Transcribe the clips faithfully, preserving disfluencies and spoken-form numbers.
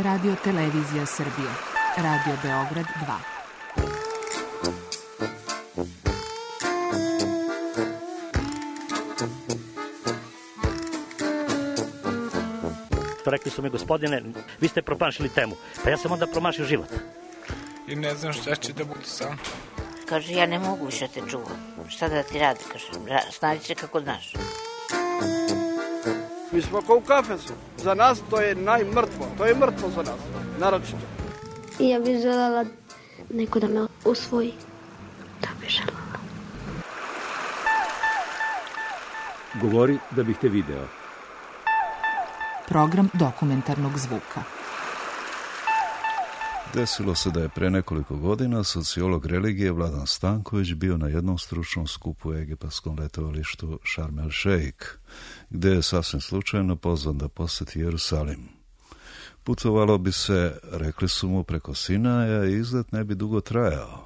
Radio Televizija Srbije. Radio Beograd dva. Rekli su mi, gospodine, vi ste promašili temu. Pa ja sam onda promašio život. I ne znam šta će da bude sam. Kaže, ja ne mogu više te čuvam. Šta da ti radi, kaže, snađi se kako znaš. Mi smo kao u kafesu. Za nas to je najmrtvo. To je mrtvo za nas, naročito. I ja bih željela neko da me usvoji. Da bih željela. Govori da bih te video. Program dokumentarnog zvuka. Desilo se da je pre nekoliko godina sociolog religije Vladan Stanković bio na jednom stručnom skupu u egipatskom letovalištu Sharm el Sheikh, gde je sasvim slučajno pozvan da poseti Jerusalim. Putovalo bi se, rekli su mu, preko Sinaja i izlet ne bi dugo trajao.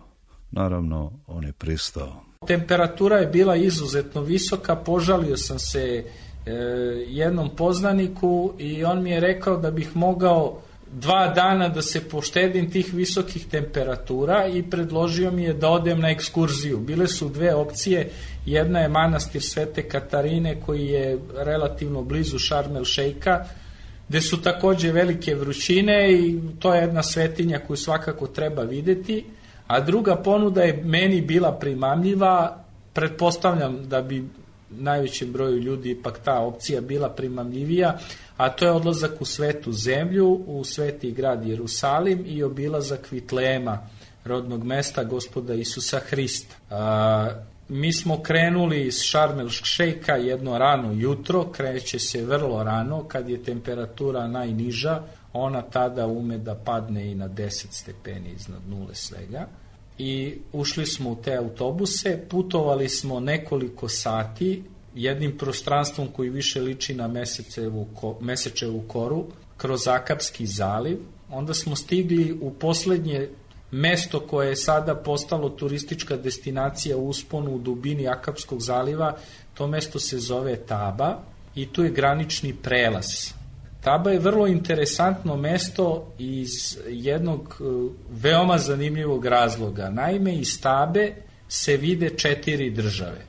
Naravno, on je pristao. Temperatura je bila izuzetno visoka, požalio sam se e, jednom poznaniku i on mi je rekao da bih mogao dva dana da se poštedim tih visokih temperatura i predložio mi je da odem na ekskurziju. Bile su dve opcije, jedna je manastir Svete Katarine koji je relativno blizu Sharm el Sheikha, gde su takođe velike vrućine i to je jedna svetinja koju svakako treba videti, a druga ponuda je meni bila primamljiva, pretpostavljam da bi najvećem broju ljudi ipak ta opcija bila primamljivija, a to je odlazak u svetu zemlju, u sveti grad Jerusalim i obilazak Vitlema, rodnog mesta Gospoda Isusa Hrista. A, mi smo krenuli iz Sharm el Sheikha jedno rano jutro, kreće se vrlo rano, kad je temperatura najniža, ona tada ume da padne i na deset stepeni iznad nule svega. I ušli smo u te autobuse, putovali smo nekoliko sati, jednim prostranstvom koji više liči na mesečevu, mesečevu koru, kroz Akapski zaliv. Onda smo stigli u poslednje mesto koje je sada postalo turistička destinacija u usponu u dubini Akapskog zaliva. To mesto se zove Taba i tu je granični prelaz. Taba je vrlo interesantno mesto iz jednog veoma zanimljivog razloga. Naime, iz Tabe se vide četiri države.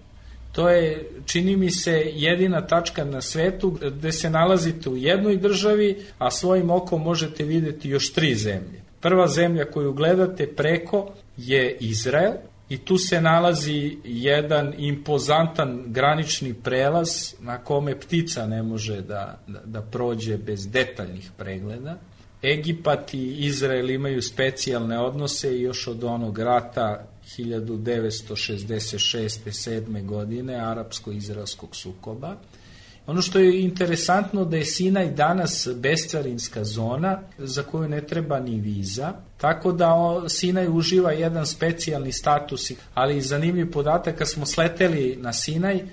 To je, čini mi se, jedina tačka na svetu gde se nalazite u jednoj državi, a svojim okom možete videti još tri zemlje. Prva zemlja koju gledate preko je Izrael i tu se nalazi jedan impozantan granični prelaz na kome ptica ne može da, da, da prođe bez detaljnih pregleda. Egipat i Izrael imaju specijalne odnose još od onog rata hiljadu devetsto šezdeset šeste sedme godine, arapsko-izraelskog sukoba. Ono što je interesantno da je Sinaj danas bescarinska zona za koju ne treba ni viza, tako da Sinaj uživa jedan specijalni status, ali zanimljiv podatak, kad smo sleteli na Sinaj,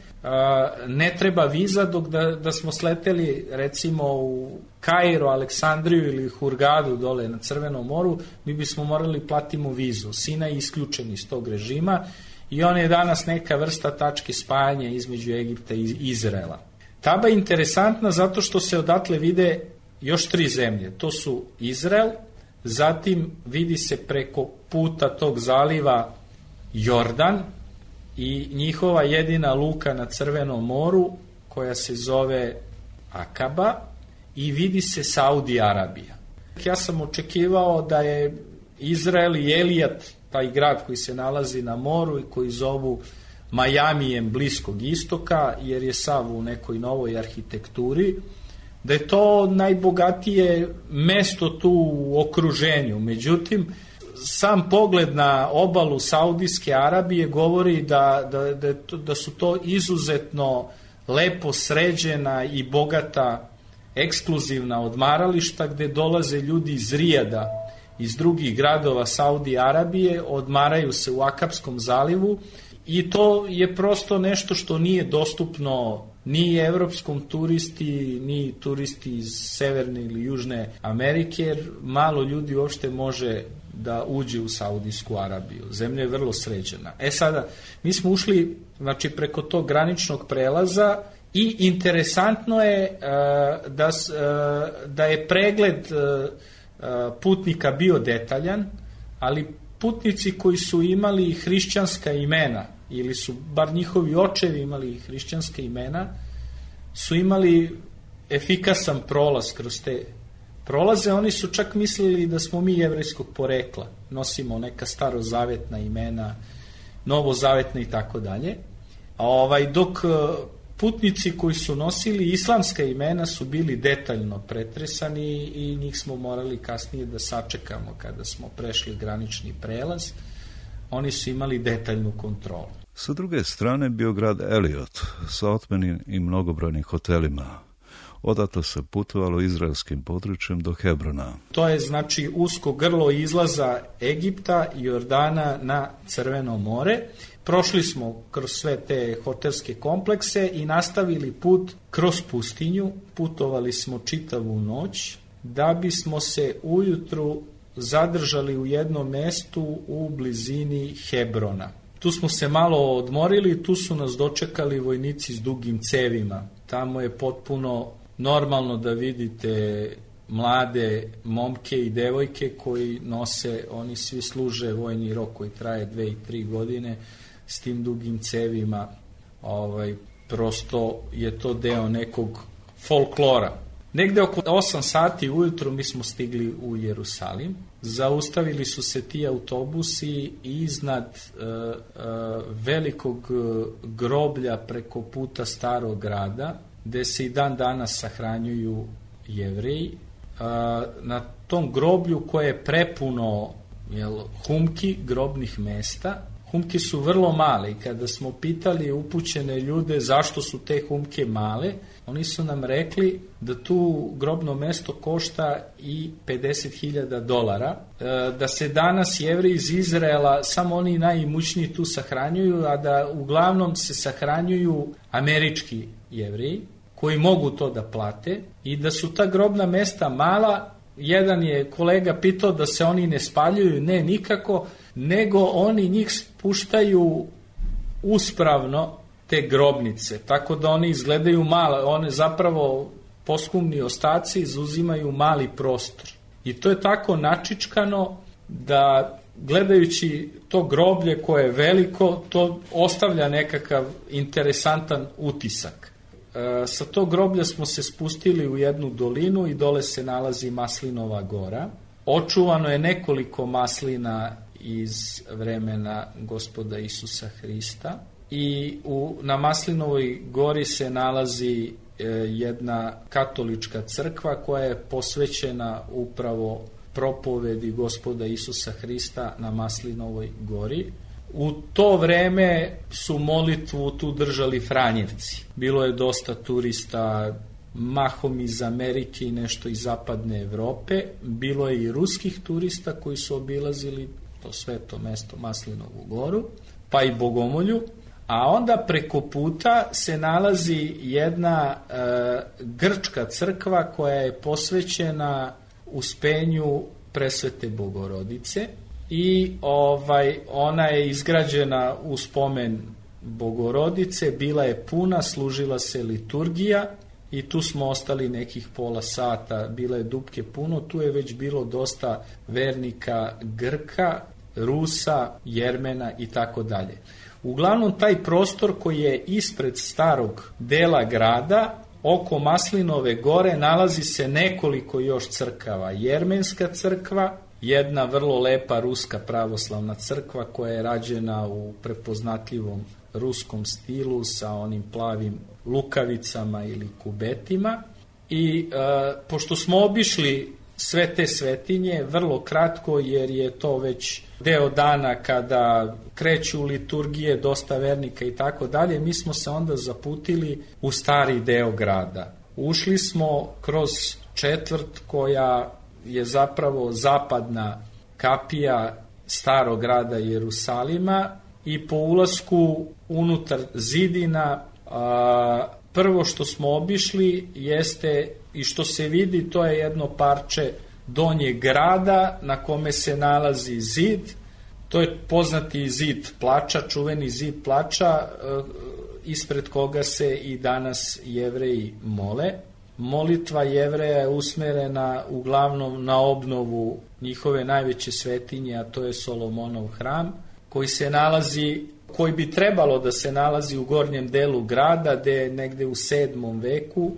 ne treba viza, dok da, da smo sleteli recimo u Kairo, Aleksandriju ili Hurgadu dole na Crvenom moru, mi bismo morali platimo vizu. Sinaj je isključen iz tog režima i on je danas neka vrsta tačke spajanja između Egipta i Izraela. Taba je interesantna zato što se odatle vide još tri zemlje. To su Izrael, zatim vidi se preko puta tog zaliva Jordan i njihova jedina luka na Crvenom moru koja se zove Akaba i vidi se Saudi Arabija. Ja sam očekivao da je Izrael i Elijat, taj grad koji se nalazi na moru i koji zovu Majamijem Bliskog istoka, jer je sav u nekoj novoj arhitekturi, da je to najbogatije mesto tu u okruženju. Međutim, sam pogled na obalu Saudijske Arabije govori da, da, da, da su to izuzetno lepo sređena i bogata ekskluzivna odmarališta gde dolaze ljudi iz Rijada, iz drugih gradova Saudije Arabije, odmaraju se u Akapskom zalivu i to je prosto nešto što nije dostupno ni evropskom turisti, ni turisti iz Severne ili Južne Amerike, jer malo ljudi uopšte može da uđe u Saudijsku Arabiju. Zemlja je vrlo sređena. E sada, mi smo ušli, znači, preko tog graničnog prelaza i interesantno je uh, da, uh, da je pregled uh, putnika bio detaljan, ali putnici koji su imali hrišćanska imena, ili su bar njihovi očevi imali hrišćanska imena, su imali efikasan prolaz kroz te prolaze. Oni su čak mislili da smo mi jevrejskog porekla, nosimo neka starozavetna imena, novozavetna i tako dalje. Ovaj, dok putnici koji su nosili islamska imena su bili detaljno pretresani i njih smo morali kasnije da sačekamo kada smo prešli granični prelaz. Oni su imali detaljnu kontrolu. Sa druge strane bio grad Eliot sa otmenim i mnogobrojnim hotelima. Odatle se putovalo izraelskim područjem do Hebrona. To je znači usko grlo izlaza Egipta i Jordana na Crveno more. Prošli smo kroz sve te hotelske komplekse i nastavili put kroz pustinju. Putovali smo čitavu noć da bismo se ujutru zadržali u jednom mestu u blizini Hebrona. Tu smo se malo odmorili, tu su nas dočekali vojnici s dugim cevima. Tamo je potpuno normalno da vidite mlade momke i devojke koji nose, oni svi služe vojni rok koji traje dve i tri godine s tim dugim cevima. Ovaj, prosto je to deo nekog folklora. Negde oko osam sati ujutro mi smo stigli u Jerusalim. Zaustavili su se ti autobusi iznad e, e, velikog groblja preko puta Starog grada, gde se i dan danas sahranjuju Jevreji. E, na tom groblju koje je prepuno jel, humki, grobnih mesta. Humke su vrlo male i kada smo pitali upućene ljude zašto su te humke male, oni su nam rekli da tu grobno mesto košta i pedeset hiljada dolara, da se danas Jevreji iz Izraela, samo oni najimućniji tu sahranjuju, a da uglavnom se sahranjuju američki Jevreji koji mogu to da plate i da su ta grobna mesta mala. Jedan je kolega pitao da se oni ne spaljuju, ne nikako, nego oni njih spuštaju uspravno te grobnice, tako da oni izgledaju male, one zapravo poskumni ostaci izuzimaju mali prostor. I to je tako načičkano da gledajući to groblje koje je veliko, to ostavlja nekakav interesantan utisak. E, sa tog groblja smo se spustili u jednu dolinu i dole se nalazi Maslinova gora. Očuvano je nekoliko maslina iz vremena Gospoda Isusa Hrista i u, na Maslinovoj gori se nalazi e, jedna katolička crkva koja je posvećena upravo propovedi Gospoda Isusa Hrista na Maslinovoj gori. U to vreme su molitvu tu držali Franjevci. Bilo je dosta turista, mahom iz Amerike i nešto iz zapadne Evrope. Bilo je i ruskih turista koji su obilazili to sveto mesto Maslinovu goru, pa i Bogomolju. A onda preko puta se nalazi jedna e, grčka crkva koja je posvećena uspenju Presvete Bogorodice i ovaj ona je izgrađena u spomen Bogorodice, bila je puna, služila se liturgija i tu smo ostali nekih pola sata, bila je dupke puno, tu je već bilo dosta vernika Grka, Rusa, Jermena i tako dalje. Uglavnom taj prostor koji je ispred starog dela grada, oko Maslinove gore, nalazi se nekoliko još crkava. Jermenska crkva, jedna vrlo lepa ruska pravoslavna crkva koja je rađena u prepoznatljivom ruskom stilu sa onim plavim lukavicama ili kubetima. I e, pošto smo obišli sve te svetinje, vrlo kratko jer je to već deo dana kada kreću liturgije, dosta vernika i tako dalje, mi smo se onda zaputili u stari deo grada. Ušli smo kroz četvrt koja je zapravo zapadna kapija starog grada Jerusalima i po ulasku unutar zidina a, prvo što smo obišli jeste i što se vidi, to je jedno parče donjeg grada na kome se nalazi zid. To je poznati zid plača, čuveni zid plača, ispred koga se i danas Jevreji mole. molitva Jevreja je usmerena uglavnom na obnovu njihove najveće svetinje, a to je Solomonov hram, koji se nalazi, koji bi trebalo da se nalazi u gornjem delu grada, gde negde u sedmom veku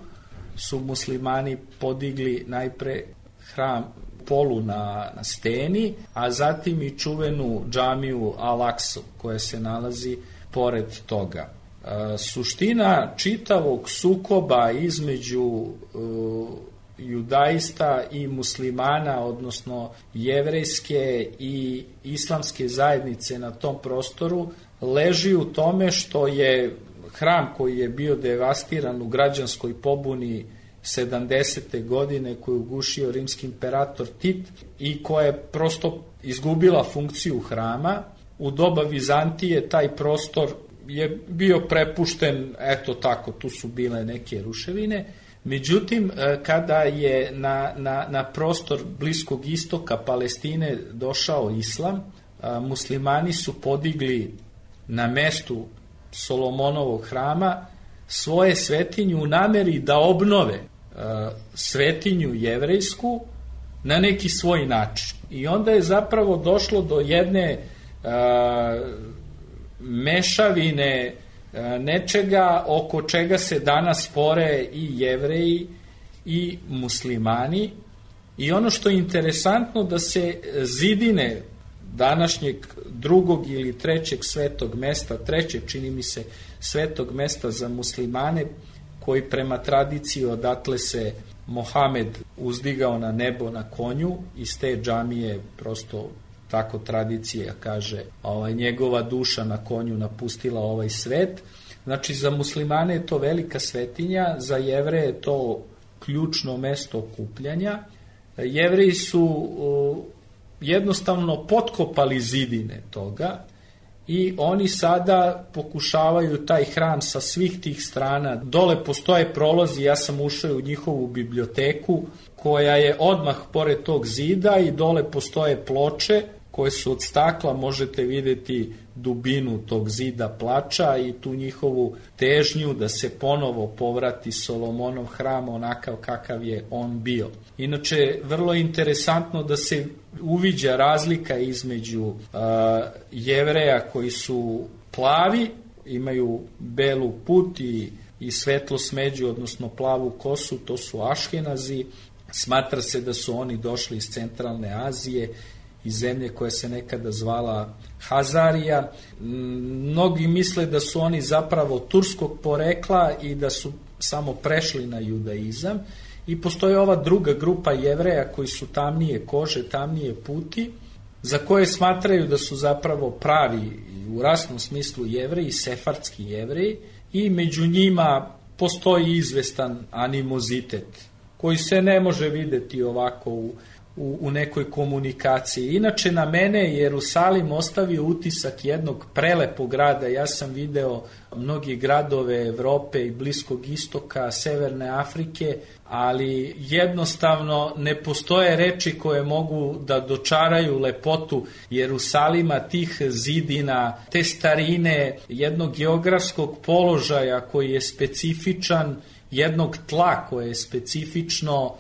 su muslimani podigli najpre hram polu na, na steni, a zatim i čuvenu džamiju Al-Aksu koja se nalazi pored toga. E, suština čitavog sukoba između e, judaista i muslimana, odnosno jevrejske i islamske zajednice na tom prostoru, leži u tome što je hram koji je bio devastiran u građanskoj pobuni sedamdesete godine, koju je ugušio rimski imperator Tit i koja je prosto izgubila funkciju hrama. U doba Vizantije taj prostor je bio prepušten, eto tako, tu su bile neke ruševine. Međutim, kada je na, na, na prostor Bliskog istoka Palestine došao islam, muslimani su podigli na mestu Solomonovog hrama svoje svetinju u nameri da obnove svetinju jevrejsku na neki svoj način. I onda je zapravo došlo do jedne a, mešavine a, nečega oko čega se danas spore i jevreji i muslimani. I ono što je interesantno, da se zidine današnjeg drugog ili trećeg svetog mesta, trećeg čini mi se svetog mesta za muslimane, koji prema tradiciji odatle se Mohamed uzdigao na nebo na konju, iz te džamije prosto tako tradicija kaže, ovaj, njegova duša na konju napustila ovaj svet. Znači za muslimane je to velika svetinja, za Jevreje je to ključno mesto okupljanja. Jevreji su uh, jednostavno potkopali zidine toga i oni sada pokušavaju taj hram sa svih tih strana. Dole postoje prolazi, ja sam ušao u njihovu biblioteku koja je odmah pored tog zida i dole postoje ploče koje su od stakla, možete vidjeti dubinu tog zida plača i tu njihovu težnju da se ponovo povrati Solomonov hram onakav kakav je on bio. Inače, vrlo je interesantno da se uviđa razlika između uh, Jevreja koji su plavi, imaju belu put i, i svetlo smeđu, odnosno plavu kosu, to su Aškenazi. Smatra se da su oni došli iz centralne Azije, iz zemlje koja se nekada zvala Hazarija. Mnogi misle da su oni zapravo turskog porekla i da su samo prešli na judaizam. I postoji ova druga grupa Jevreja koji su tamnije kože, tamnije puti, za koje smatraju da su zapravo pravi u rasnom smislu Jevreji, sefardski Jevreji, i među njima postoji izvestan animozitet koji se ne može videti ovako u U, u nekoj komunikaciji. Inače, na mene je Jerusalim ostavio utisak jednog prelepog grada. Ja sam video mnogi gradove Evrope i Bliskog istoka, Severne Afrike, ali jednostavno ne postoje reči koje mogu da dočaraju lepotu Jerusalima, tih zidina, te starine, jednog geografskog položaja koji je specifičan, jednog tla koje je specifično,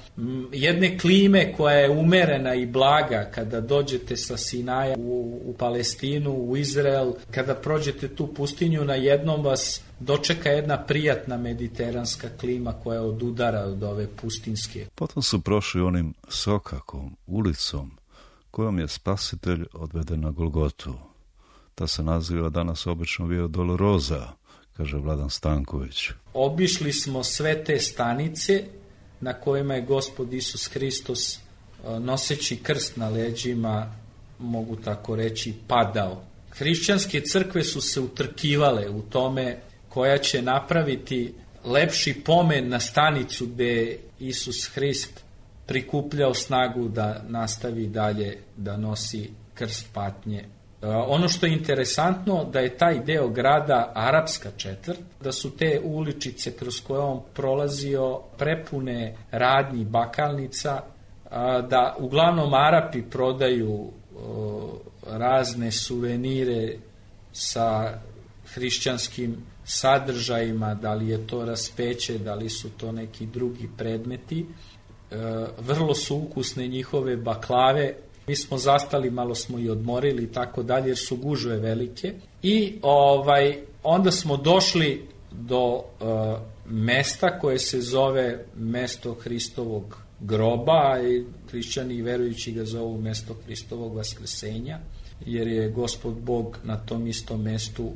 jedne klime koja je umerena i blaga. Kada dođete sa Sinaja u, u Palestinu, u Izrael, kada prođete tu pustinju, na jednom vas dočeka jedna prijatna mediteranska klima koja odudara od ove pustinske. Potom su prošli onim Sokakom, ulicom, kojom je spasitelj odveden na Golgotu. Ta se naziva danas obično Via Dolorosa, kaže Vladan Stanković. Obišli smo sve te stanice na kojima je Gospod Isus Hristos, noseći krst na leđima, mogu tako reći, padao. Hrišćanske crkve su se utrkivale u tome koja će napraviti lepši pomen na stanicu gde Isus Hrist prikupljao snagu da nastavi dalje da nosi krst patnje. Ono što je interesantno, da je taj deo grada arapska četvrt, da su te uličice kroz koje on prolazio prepune radnji, bakalnica, da uglavnom Arapi prodaju razne suvenire sa hrišćanskim sadržajima, da li je to raspeće, da li su to neki drugi predmeti. E, vrlo su ukusne njihove baklave. Mi smo zastali, malo smo i odmorili i tako dalje, jer su gužve velike. I ovaj, onda smo došli do e, mesta koje se zove mesto Hristovog groba, i hrišćani i verujući ga zovu mesto Hristovog vaskrsenja, jer je Gospod Bog na tom istom mestu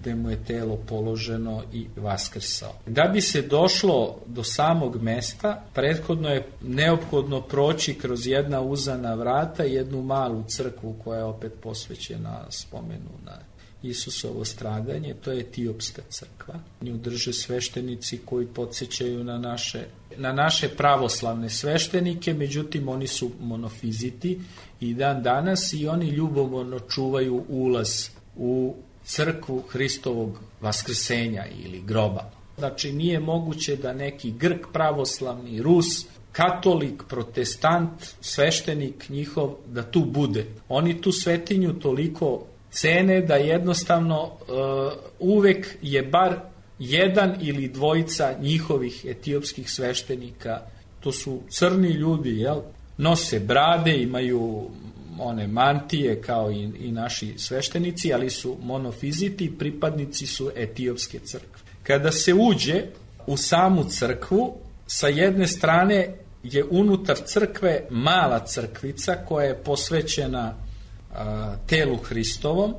gde mu je telo položeno i vaskrsao. Da bi se došlo do samog mesta, prethodno je neophodno proći kroz jedna uzana vrata i jednu malu crkvu koja je opet posvećena spomenu na Isusovo stradanje, to je Etiopska crkva. Nju drže sveštenici koji podsjećaju na naše, na naše pravoslavne sveštenike, međutim oni su monofiziti i dan danas i oni ljubomorno čuvaju ulaz u crkvu Hristovog vaskrsenja ili groba. Znači nije moguće da neki Grk pravoslavni, Rus, katolik, protestant, sveštenik njihov da tu bude. Oni tu svetinju toliko cene da jednostavno uh, uvek je bar jedan ili dvojica njihovih etiopskih sveštenika, to su crni ljudi, jel? Nose brade, imaju one mantije kao i, i naši sveštenici, ali su monofiziti, pripadnici su etiopske crkve. Kada se uđe u samu crkvu, sa jedne strane je unutar crkve mala crkvica koja je posvećena a, telu Hristovom,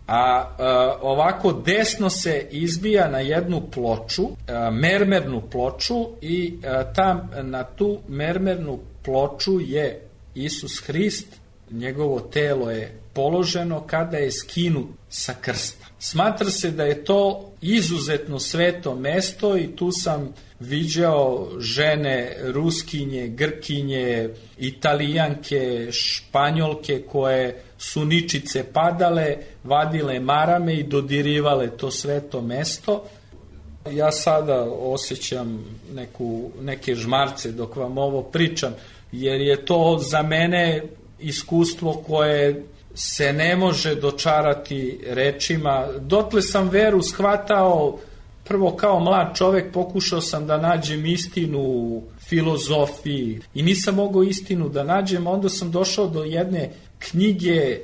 a, a ovako desno se izbija na jednu ploču, a, mermernu ploču i a, tam na tu mermernu ploču je Isus Hrist, njegovo telo je položeno kada je skinut sa krsta. Smatra se da je to izuzetno sveto mesto i tu sam viđao žene, Ruskinje, Grkinje, Italijanke, Španjolke koje su ničice padale, vadile marame i dodirivale to sveto mesto. Ja sada osjećam neku, neke žmarce dok vam ovo pričam, jer je to za mene iskustvo koje se ne može dočarati rečima. Dotle sam veru shvatao, prvo kao mlad čovek pokušao sam da nađem istinu u filozofiji i nisam mogao istinu da nađem, onda sam došao do jedne knjige e,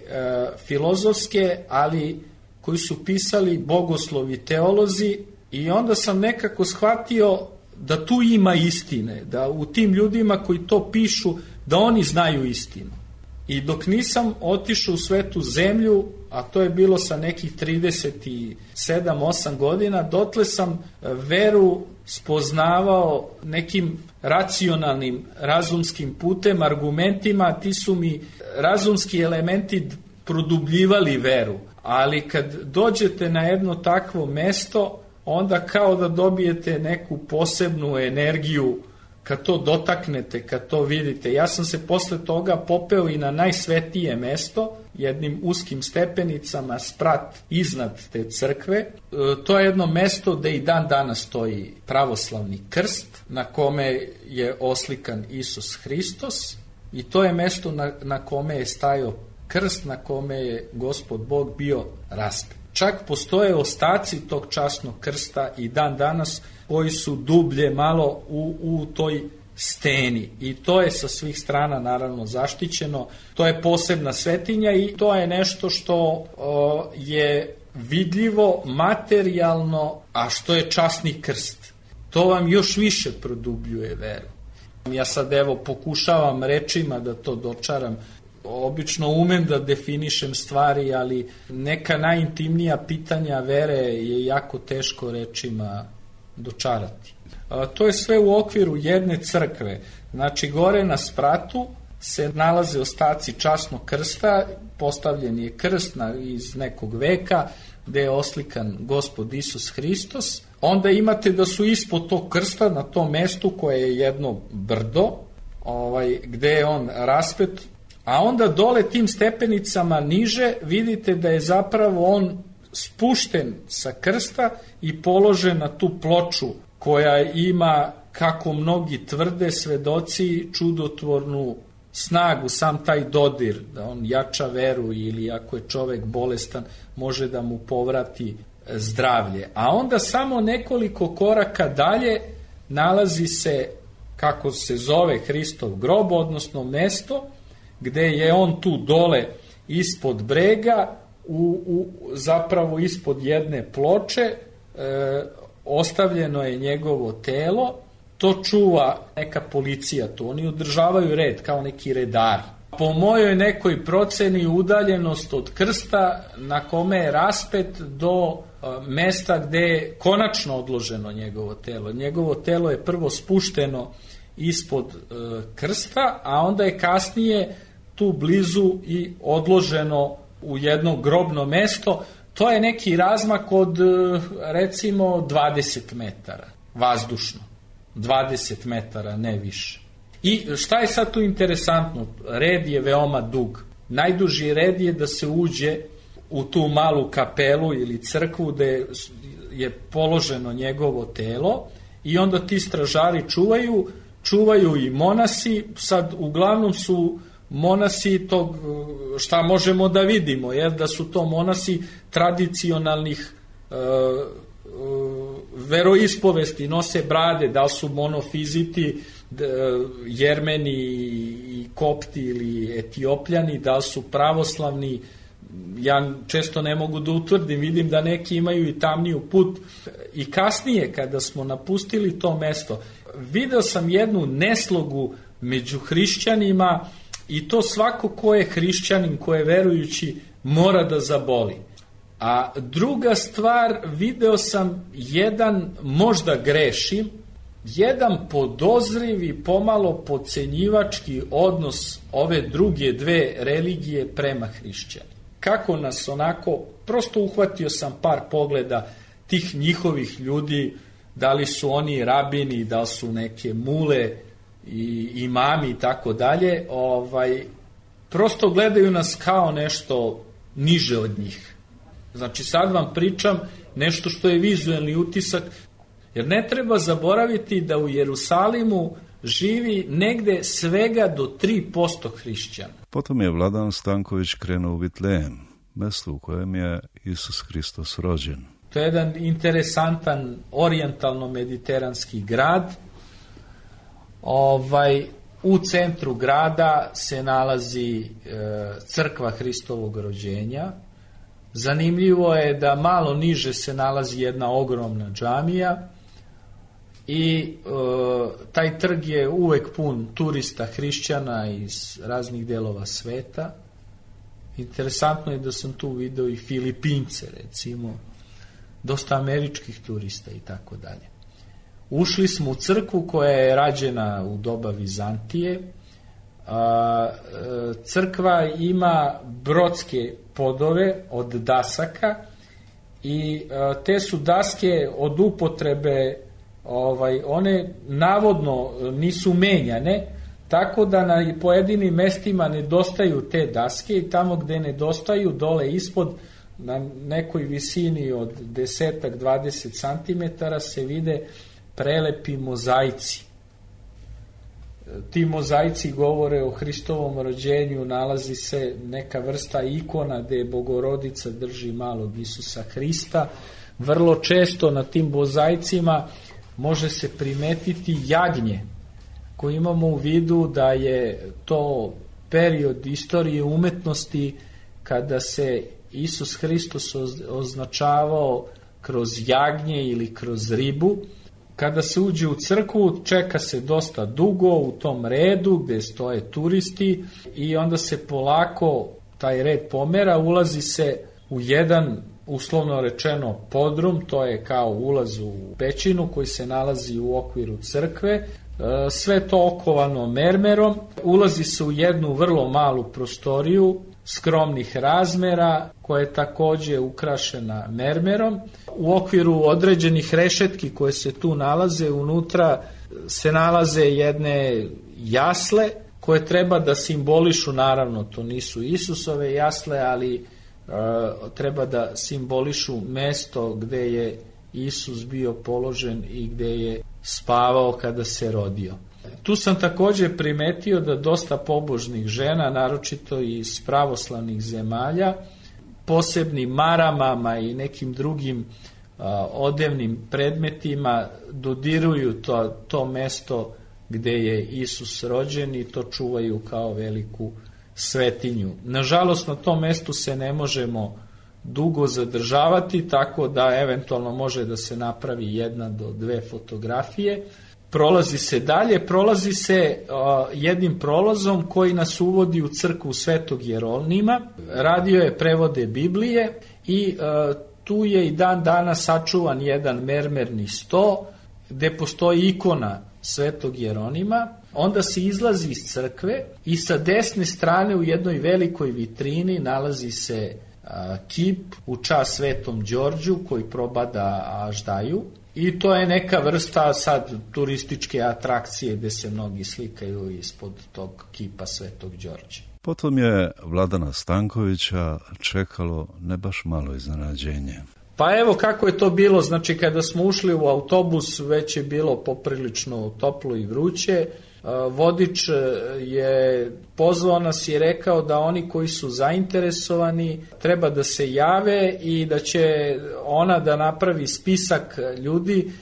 filozofske, ali koju su pisali bogoslovi teolozi i onda sam nekako shvatio da tu ima istine, da u tim ljudima koji to pišu, da oni znaju istinu. I dok nisam otišao u svetu zemlju, a to je bilo sa nekih trideset sedam osam godina, dotle sam veru spoznavao nekim racionalnim, razumskim putem, argumentima, ti su mi razumski elementi produbljivali veru. Ali kad dođete na jedno takvo mesto, onda kao da dobijete neku posebnu energiju kad to dotaknete, kad to vidite. Ja sam se posle toga popeo i na najsvetije mesto, jednim uskim stepenicama sprat iznad te crkve. E, to je jedno mesto gde i dan danas stoji pravoslavni krst, na kome je oslikan Isus Hristos, i to je mesto na, na kome je stajao krst, na kome je Gospod Bog bio raspet. Čak postoje ostaci tog časnog krsta i dan danas koji su dublje malo u, u toj steni i to je sa svih strana naravno zaštićeno. To je posebna svetinja i to je nešto što o, je vidljivo, materijalno, a što je časni krst. To vam još više produbljuje veru. Ja sad evo pokušavam rečima da to dočaram. Obično umem da definišem stvari, ali neka najintimnija pitanja vere je jako teško rečima dočarati. A, to je sve u okviru jedne crkve. Znači, gore na spratu se nalaze ostaci časnog krsta, postavljen je krst na, iz nekog veka, gde je oslikan Gospod Isus Hristos. Onda imate da su ispod tog krsta, na tom mestu koje je jedno brdo, ovaj, gde je on raspet, a onda dole tim stepenicama niže vidite da je zapravo on spušten sa krsta i položen na tu ploču koja ima, kako mnogi tvrde svedoci, čudotvornu snagu, sam taj dodir, da on jača veru ili ako je čovek bolestan može da mu povrati zdravlje. A onda samo nekoliko koraka dalje nalazi se, kako se zove, Hristov grob, odnosno mesto gde je on tu dole ispod brega, u, u, zapravo ispod jedne ploče, e, ostavljeno je njegovo telo. To čuva neka policija tu, oni održavaju red kao neki redari. Po mojoj nekoj proceni udaljenost od krsta na kome je raspet do e, mesta gde je konačno odloženo njegovo telo. Njegovo telo je prvo spušteno ispod e, krsta, a onda je kasnije tu blizu i odloženo u jedno grobno mesto. To je neki razmak od recimo dvadeset metara vazdušno. dvadeset metara, ne više. I šta je sad tu interesantno? Red je veoma dug. Najduži red je da se uđe u tu malu kapelu ili crkvu gde je položeno njegovo telo i onda ti stražari čuvaju, čuvaju i monasi. Sad uglavnom su monasi tog, šta možemo da vidimo, jer da su to monasi tradicionalnih e, e, veroispovesti, nose brade, da li su monofiziti, d, jermeni i kopti ili etiopljani, da li su pravoslavni. Ja često ne mogu da utvrdim, vidim da neki imaju i tamniju put. I kasnije, kada smo napustili to mesto, video sam jednu neslogu među hrišćanima. I to svako ko je hrišćanin, ko je verujući, mora da zaboli. A druga stvar, video sam jedan, možda grešim, jedan podozriv i pomalo podcenjivački odnos ove druge dve religije prema hrišćani. Kako nas onako, prosto uhvatio sam par pogleda tih njihovih ljudi, da li su oni rabini, da li su neke mule, i imami i tako dalje, ovaj, prosto gledaju nas kao nešto niže od njih. Znači sad vam pričam nešto što je vizuelni utisak, jer ne treba zaboraviti da u Jerusalimu živi negde svega do tri posto hrišćana. Potom je Vladan Stanković krenuo u Vitlejem, mesto u kojem je Isus Hristos rođen. To je jedan interesantan orijentalno-mediteranski grad. Ovaj, u centru grada se nalazi e, crkva Hristovog rođenja. Zanimljivo je da malo niže se nalazi jedna ogromna džamija i e, taj trg je uvek pun turista hrišćana iz raznih delova sveta. Interesantno je da sam tu video i Filipince, recimo, dosta američkih turista i tako dalje. Ušli smo u crkvu koja je rađena u doba Vizantije. Crkva ima brodske podove od dasaka i te su daske od upotrebe, ovaj, one navodno nisu menjane, tako da na pojedinim mestima nedostaju te daske i tamo gde nedostaju, dole ispod, na nekoj visini od deset do dvadeset santimetara se vide prelepi mozaici. Ti mozaici govore o Hristovom rođenju, nalazi se neka vrsta ikona gde Bogorodica drži malog Isusa Hrista. Vrlo često na tim mozaicima može se primetiti jagnje, koji imamo u vidu da je to period istorije umetnosti kada se Isus Hristos označavao kroz jagnje ili kroz ribu. Kada se uđe u crkvu, čeka se dosta dugo u tom redu gde stoje turisti i onda se polako taj red pomera, ulazi se u jedan, uslovno rečeno, podrum, to je kao ulaz u pećinu koji se nalazi u okviru crkve, sve to okovano mermerom, ulazi se u jednu vrlo malu prostoriju skromnih razmera koja je takođe ukrašena mermerom. U okviru određenih rešetki koje se tu nalaze, unutra se nalaze jedne jasle koje treba da simbolišu, naravno to nisu Isusove jasle, ali e, treba da simbolišu mesto gde je Isus bio položen i gde je spavao kada se rodio. Tu sam takođe primetio da dosta pobožnih žena, naročito iz pravoslavnih zemalja, posebnim maramama i nekim drugim a, odevnim predmetima dodiruju to, to mesto gde je Isus rođen i to čuvaju kao veliku svetinju. Nažalost, na tom mestu se ne možemo dugo zadržavati, tako da eventualno može da se napravi jedna do dve fotografije. Prolazi se dalje, prolazi se uh, jednim prolazom koji nas uvodi u crkvu Svetog Jeronima. Radio je prevode Biblije i uh, tu je i dan dana sačuvan jedan mermerni sto gde postoji ikona Svetog Jeronima. Onda se izlazi iz crkve i sa desne strane u jednoj velikoj vitrini nalazi se a, kip u čast Svetom Đorđu koji probada aždaju. I to je neka vrsta sad turističke atrakcije gde se mnogi slikaju ispod tog kipa Svetog Đorđa. Potom je Vladana Stankovića čekalo ne baš malo iznenađenje. Pa evo kako je to bilo, znači kada smo ušli u autobus već je bilo poprilično toplo i vruće. Vodič je pozvao nas i rekao da oni koji su zainteresovani treba da se jave i da će ona da napravi spisak ljudi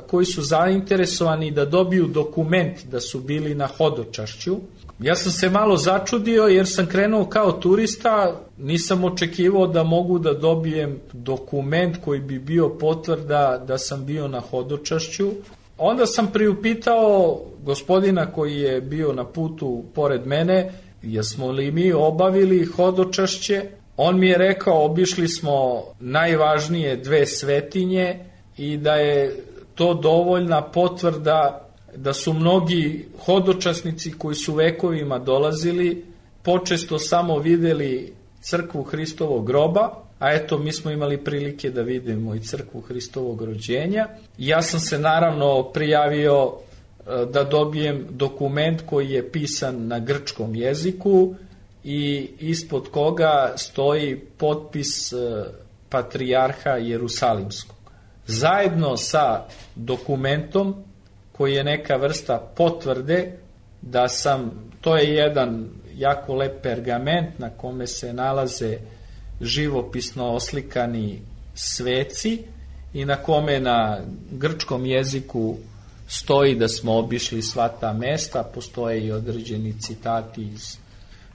koji su zainteresovani da dobiju dokument da su bili na hodočašću. Ja sam se malo začudio jer sam krenuo kao turista, nisam očekivao da mogu da dobijem dokument koji bi bio potvrda da sam bio na hodočašću. Onda sam priupitao gospodina koji je bio na putu pored mene, jesmo li mi obavili hodočašće. On mi je rekao, obišli smo najvažnije dve svetinje i da je to dovoljna potvrda da su mnogi hodočasnici koji su vekovima dolazili počesto samo videli crkvu Hristovog groba, a eto mi smo imali prilike da vidimo i crkvu Hristovog rođenja. Ja sam se naravno prijavio da dobijem dokument koji je pisan na grčkom jeziku i ispod koga stoji potpis patrijarha Jerusalimskog. Zajedno sa dokumentom koji je neka vrsta potvrde da sam, to je jedan jako lep pergament na kome se nalaze živopisno oslikani sveci i na kome na grčkom jeziku stoji da smo obišli sva ta mesta, postoje i određeni citati iz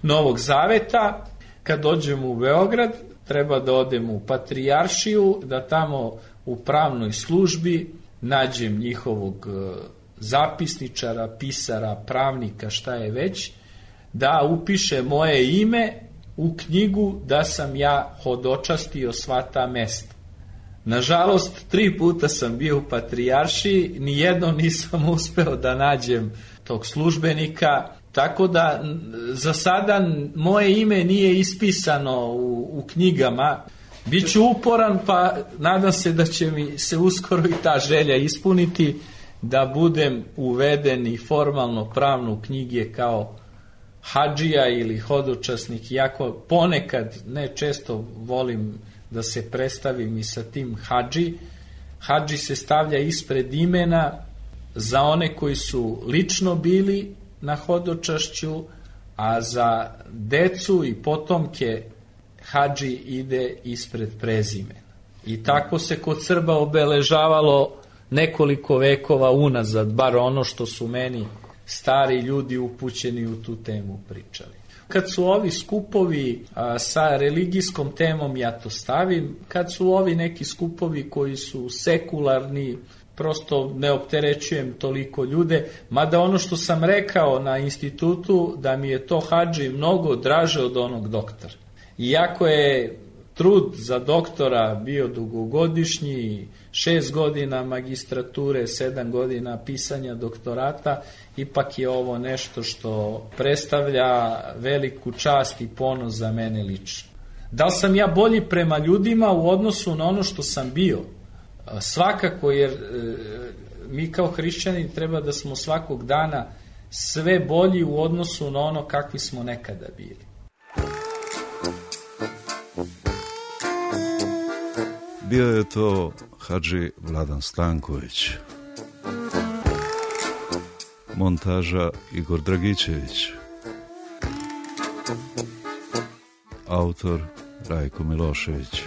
Novog Zaveta. Kad dođemo u Beograd, treba da odemo u Patrijaršiju, da tamo u pravnoj službi nađem njihovog zapisničara, pisara, pravnika, šta je već, da upiše moje ime u knjigu da sam ja hodočastio sva ta mesta. Nažalost, tri puta sam bio u Patrijaršiji, nijednom nisam uspeo da nađem tog službenika, tako da za sada moje ime nije ispisano u, u knjigama. Biću uporan, pa nadam se da će mi se uskoro i ta želja ispuniti, da budem uveden i formalno pravno u knjige kao hadžija ili hodočasnik, iako ponekad, ne često, volim da se predstavim i sa tim hadži. Hadži se stavlja ispred imena za one koji su lično bili na hodočašću, a za decu i potomke hadži ide ispred prezimena. I tako se kod Srba obeležavalo nekoliko vekova unazad, bar ono što su meni stari ljudi upućeni u tu temu pričali. Kad su ovi skupovi a, sa religijskom temom, ja to stavim, kad su ovi neki skupovi koji su sekularni, prosto ne opterećujem toliko ljude, mada ono što sam rekao na institutu, da mi je to hadži mnogo draže od onog doktora. Iako je trud za doktora bio dugogodišnji, šest godina magistrature, sedam godina pisanja doktorata, ipak je ovo nešto što predstavlja veliku čast i ponos za mene lično. Da li sam ja bolji prema ljudima u odnosu na ono što sam bio? Svakako, jer e, mi kao hrišćani treba da smo svakog dana sve bolji u odnosu na ono kakvi smo nekada bili. Bio je to hadži Vladan Stanković. Montaža Igor Dragičević. Autor Rajko Milošević.